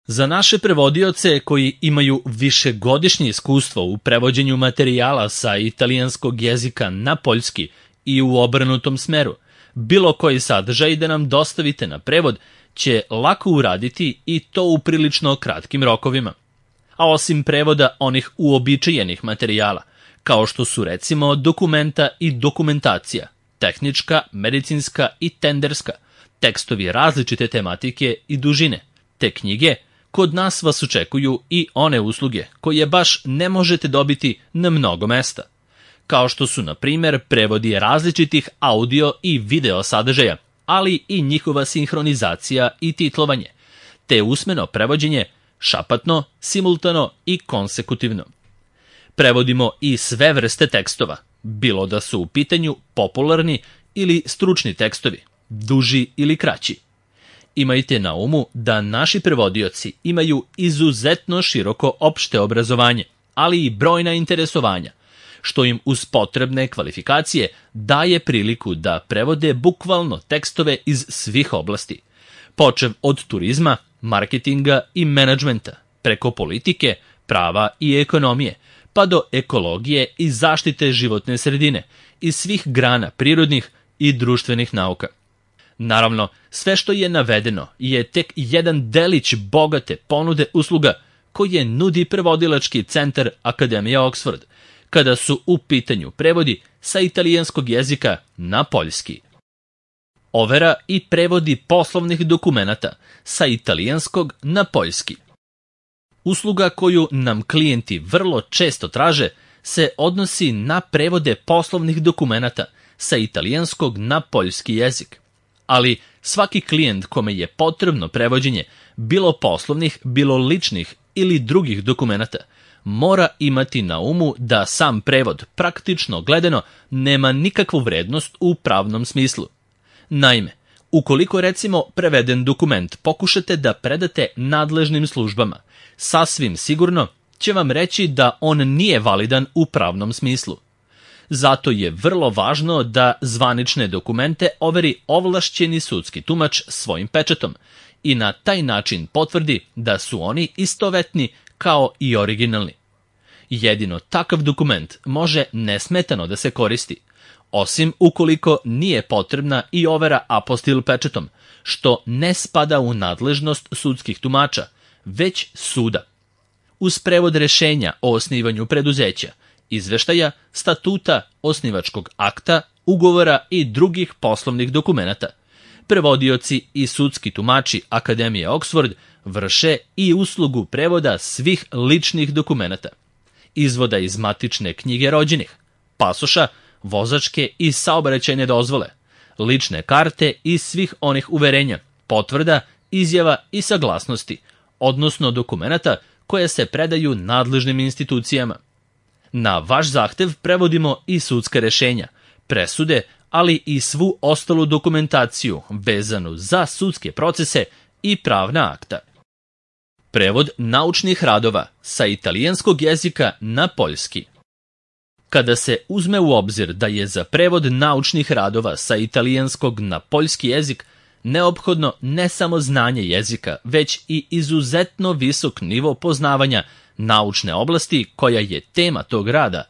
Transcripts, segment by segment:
Za naše prevodioce koji imaju višegodišnje iskustvo u prevođenju materijala sa italijanskog jezika na poljski i u obrnutom smeru, bilo koji sadržaj da nam dostavite na prevod će lako uraditi i to u prilično kratkim rokovima. A osim prevoda onih uobičajenih materijala, kao što su recimo dokumenta i dokumentacija, tehnička, medicinska i tenderska, tekstovi različite tematike i dužine, te knjige, kod nas vas očekuju i one usluge koje baš ne možete dobiti na mnogo mesta, kao što su, na primjer, prevodi različitih audio i video sadržaja, ali i njihova sinhronizacija i titlovanje, te usmeno prevođenje šapatno, simultano i konsekutivno. Prevodimo i sve vrste tekstova, bilo da su u pitanju popularni ili stručni tekstovi, duži ili kraći. Imajte na umu da naši prevodioci imaju izuzetno široko opšte obrazovanje, ali i brojna interesovanja, što im uz potrebne kvalifikacije daje priliku da prevode bukvalno tekstove iz svih oblasti, počev od turizma, marketinga i menadžmenta, preko politike, prava i ekonomije, pa do ekologije i zaštite životne sredine i svih grana prirodnih i društvenih nauka. Naravno, sve što je navedeno je tek jedan delić bogate ponude usluga koje nudi prevodilački centar Akademije Oxford, kada su u pitanju prevodi sa italijanskog jezika na poljski. Overa i prevodi poslovnih dokumenata sa italijanskog na poljski. Usluga koju nam klijenti vrlo često traže se odnosi na prevode poslovnih dokumenata sa italijanskog na poljski jezik. Ali svaki klijent kome je potrebno prevođenje, bilo poslovnih, bilo ličnih ili drugih dokumenata, mora imati na umu da sam prevod, praktično gledano, nema nikakvu vrednost u pravnom smislu. Naime, ukoliko recimo preveden dokument pokušate da predate nadležnim službama, sasvim sigurno će vam reći da on nije validan u pravnom smislu. Zato je vrlo važno da zvanične dokumente overi ovlašćeni sudski tumač svojim pečatom i na taj način potvrdi da su oni istovetni kao i originalni. Jedino takav dokument može nesmetano da se koristi, osim ukoliko nije potrebna i overa apostil pečatom, što ne spada u nadležnost sudskih tumača, već suda. Uz prevod rešenja o osnivanju preduzeća, izveštaja, statuta, osnivačkog akta, ugovora i drugih poslovnih dokumenata, prevodioci i sudski tumači Akademije Oxford vrše i uslugu prevoda svih ličnih dokumenata, izvoda iz matične knjige rođenih, pasoša, vozačke i saobraćajne dozvole, lične karte i svih onih uverenja, potvrda, izjava i saglasnosti, odnosno dokumenata koje se predaju nadležnim institucijama. Na vaš zahtev prevodimo i sudska rešenja, presude, ali i svu ostalu dokumentaciju vezanu za sudske procese i pravna akta. Prevod naučnih radova sa italijanskog jezika na poljski. Kada se uzme u obzir da je za prevod naučnih radova sa italijanskog na poljski jezik neophodno ne samo znanje jezika, već i izuzetno visok nivo poznavanja naučne oblasti koja je tema tog rada,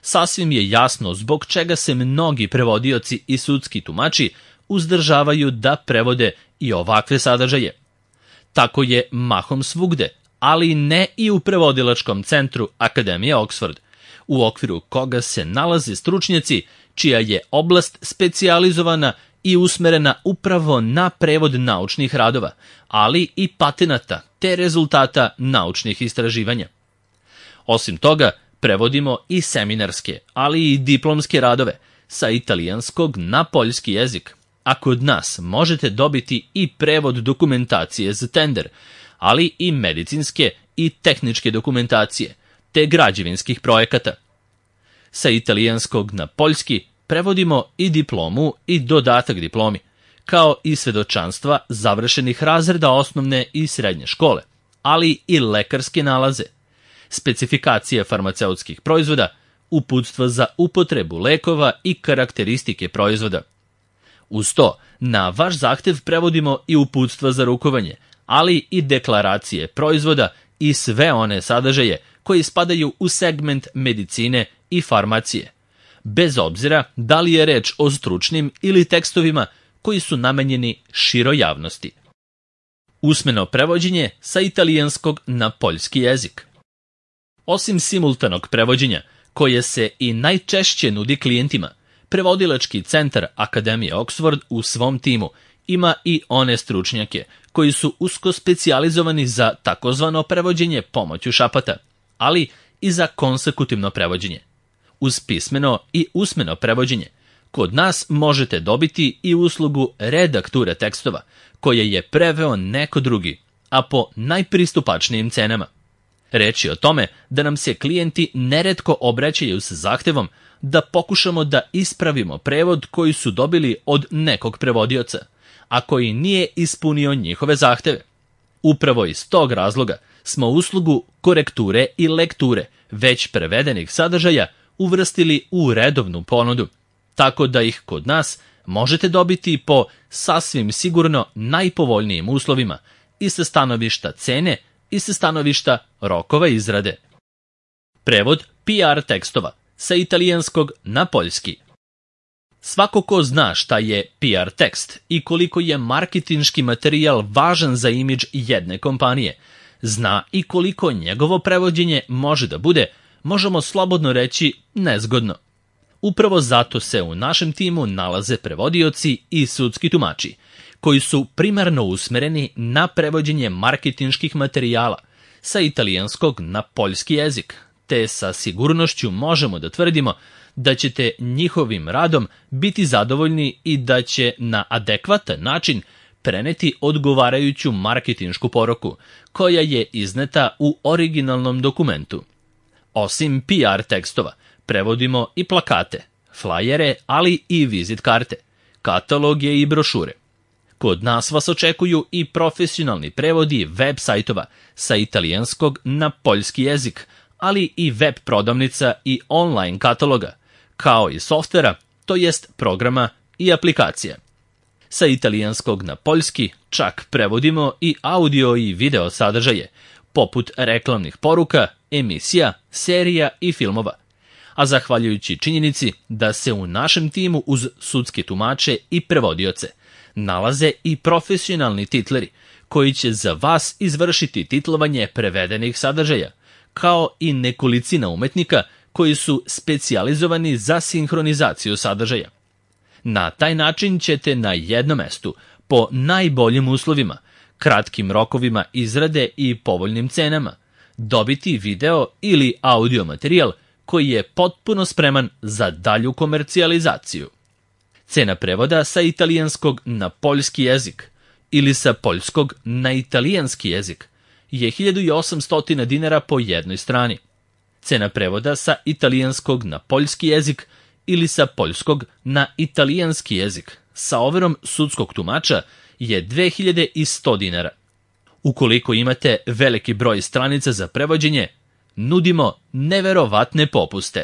sasvim je jasno zbog čega se mnogi prevodioci i sudski tumači uzdržavaju da prevode i ovakve sadržaje. Tako je mahom svugde, ali ne i u prevodilačkom centru Akademije Oxford, u okviru koga se nalaze stručnjaci čija je oblast specijalizovana i usmerena upravo na prevod naučnih radova, ali i patenata te rezultata naučnih istraživanja. Osim toga, prevodimo i seminarske, ali i diplomske radove sa italijanskog na poljski jezik, a kod nas možete dobiti i prevod dokumentacije za tender, ali i medicinske i tehničke dokumentacije, te građevinskih projekata. Sa italijanskog na poljski prevodimo i diplomu i dodatak diplomi, kao i svedočanstva završenih razreda osnovne i srednje škole, ali i lekarske nalaze, specifikacije farmaceutskih proizvoda, uputstva za upotrebu lekova i karakteristike proizvoda. Uz to, na vaš zahtev prevodimo i uputstva za rukovanje, ali i deklaracije proizvoda i sve one sadržaje koji spadaju u segment medicine i farmacije, bez obzira da li je reč o stručnim ili tekstovima koji su namenjeni široj javnosti. Usmeno prevođenje sa italijanskog na poljski jezik. Osim simultanog prevođenja, koje se i najčešće nudi klijentima, prevodilački centar Akademije Oxford u svom timu ima i one stručnjake koji su usko specijalizovani za takozvano prevođenje pomoću šapata, ali i za konsekutivno prevođenje. Uz pismeno i usmeno prevođenje, kod nas možete dobiti i uslugu redakture tekstova, koje je preveo neko drugi, a po najpristupačnijim cenama. Reč je o tome da nam se klijenti neretko obraćaju sa zahtevom da pokušamo da ispravimo prevod koji su dobili od nekog prevodioca, a koji nije ispunio njihove zahteve. Upravo iz tog razloga smo uslugu korekture i lekture već prevedenih sadržaja uvrstili u redovnu ponudu, tako da ih kod nas možete dobiti po sasvim sigurno najpovoljnijim uslovima i sa stanovišta cene i sa stanovišta rokova izrade. Prevod PR tekstova sa italijanskog na poljski. Svako ko zna šta je PR tekst i koliko je marketinški materijal važan za imidž jedne kompanije, zna i koliko njegovo prevođenje može da bude, možemo slobodno reći, nezgodno. Upravo zato se u našem timu nalaze prevodioci i sudski tumači, koji su primarno usmereni na prevođenje marketinških materijala sa italijanskog na poljski jezik, te sa sigurnošću možemo da tvrdimo da ćete njihovim radom biti zadovoljni i da će na adekvatan način preneti odgovarajuću marketinšku poruku, koja je izneta u originalnom dokumentu. Osim PR tekstova, prevodimo i plakate, flajere, ali i vizit karte, kataloge i brošure. Kod nas vas očekuju i profesionalni prevodi web sajtova sa italijanskog na poljski jezik, ali i web prodavnica i online kataloga, kao i softvera, to jest programa i aplikacija. Sa italijanskog na poljski čak prevodimo i audio i video sadržaje, poput reklamnih poruka, emisija, serija i filmova. A zahvaljujući činjenici da se u našem timu uz sudske tumače i prevodioce nalaze i profesionalni titleri koji će za vas izvršiti titlovanje prevedenih sadržaja, kao i nekolicina umetnika koji su specijalizovani za sinhronizaciju sadržaja. Na taj način ćete na jednom mestu, po najboljim uslovima, kratkim rokovima izrade i povoljnim cenama, dobiti video ili audio materijal koji je potpuno spreman za dalju komercijalizaciju. Cena prevoda sa italijanskog na poljski jezik ili sa poljskog na italijanski jezik je 1800 dinara po jednoj strani. Cena prevoda sa italijanskog na poljski jezik ili sa poljskog na italijanski jezik sa overom sudskog tumača je 2100 dinara. Ukoliko imate veliki broj stranica za prevođenje, nudimo neverovatne popuste.